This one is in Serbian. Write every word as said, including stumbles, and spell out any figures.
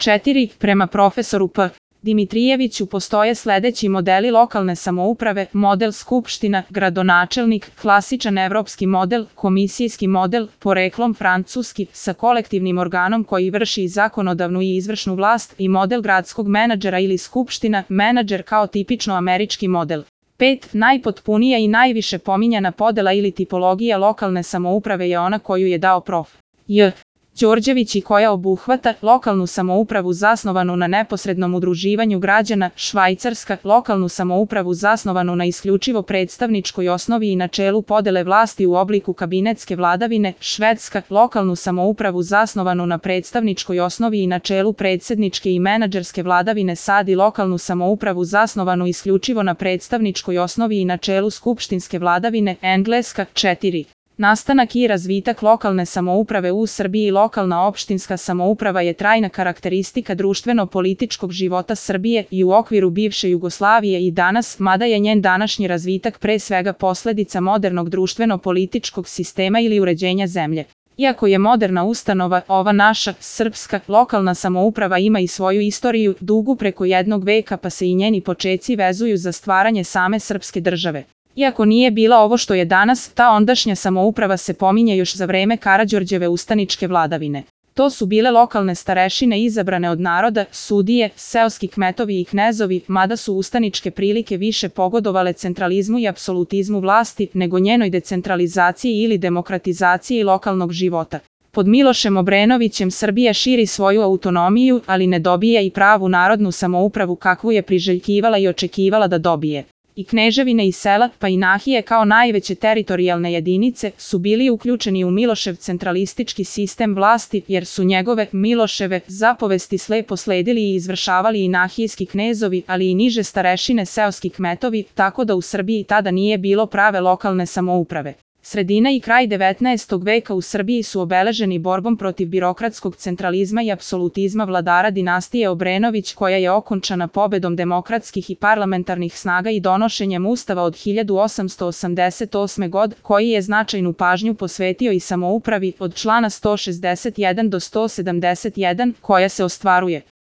četiri. Prema profesoru P. Dimitrijeviću postoje sledeći modeli lokalne samouprave: model skupština, gradonačelnik, klasičan evropski model, komisijski model, poreklom francuski, sa kolektivnim organom koji vrši zakonodavnu i izvršnu vlast, i model gradskog menadžera ili skupština, menadžer kao tipično američki model. pet. Najpotpunija i najviše pominjana podela ili tipologija lokalne samouprave je ona koju je dao prof. J. Đorđević i koja obuhvata lokalnu samoupravu zasnovanu na neposrednom udruživanju građana, Švajcarska, lokalnu samoupravu zasnovanu na isključivo predstavničkoj osnovi i načelu podele vlasti u obliku kabinetske vladavine, Švedska, lokalnu samoupravu zasnovanu na predstavničkoj osnovi i načelu predsedničke i menadžerske vladavine, SAD i lokalnu samoupravu zasnovanu isključivo na predstavničkoj osnovi i načelu skupštinske vladavine, Engleska. četiri. Nastanak i razvitak lokalne samouprave u Srbiji. Lokalna opštinska samouprava je trajna karakteristika društveno-političkog života Srbije i u okviru bivše Jugoslavije i danas, mada je njen današnji razvitak pre svega posledica modernog društveno-političkog sistema ili uređenja zemlje. Iako je moderna ustanova, ova naša, srpska, lokalna samouprava ima i svoju istoriju, dugu preko jednog veka, pa se i njeni počeci vezuju za stvaranje same srpske države. Iako nije bila ovo što je danas, ta ondašnja samouprava se pominje još za vreme Karađorđeve ustaničke vladavine. To su bile lokalne starešine izabrane od naroda, sudije, seoski kmetovi i knezovi, mada su ustaničke prilike više pogodovale centralizmu i apsolutizmu vlasti nego njenoj decentralizaciji ili demokratizaciji lokalnog života. Pod Milošem Obrenovićem Srbija širi svoju autonomiju, ali ne dobija i pravu narodnu samoupravu kakvu je priželjkivala i očekivala da dobije. I kneževine i sela, pa i nahije kao najveće teritorijalne jedinice, su bili uključeni u Milošev centralistički sistem vlasti, jer su njegove, Miloševe, zapovesti slepo sledili i izvršavali i nahijski knezovi, ali i niže starešine seoski kmetovi, tako da u Srbiji tada nije bilo prave lokalne samouprave. Sredina i kraj devetnaestog veka u Srbiji su obeleženi borbom protiv birokratskog centralizma i apsolutizma vladara dinastije Obrenović, koja je okončana pobedom demokratskih i parlamentarnih snaga i donošenjem Ustava od hiljadu osamsto osamdeset osme. godine, koji je značajnu pažnju posvetio i samoupravi od člana sto šezdeset jedan do sto sedamdeset jedan, koja se ostvaruje